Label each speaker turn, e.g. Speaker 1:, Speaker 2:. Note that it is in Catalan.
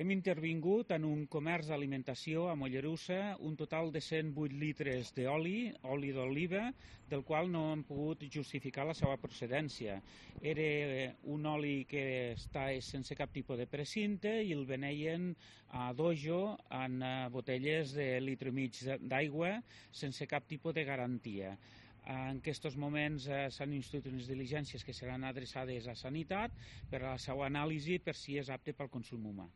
Speaker 1: Hem intervingut en un comerç d'alimentació a Mollerussa un total de 108 litres d'oli, oli d'oliva, del qual no hem pogut justificar la seva procedència. Era un oli que està sense cap tipus de precinte i el veneien a dojo en botelles de litre i mig d'aigua sense cap tipus de garantia. En aquests moments s'han instituït unes diligències que seran adreçades a Sanitat per a la seva anàlisi per si és apte pel consum humà.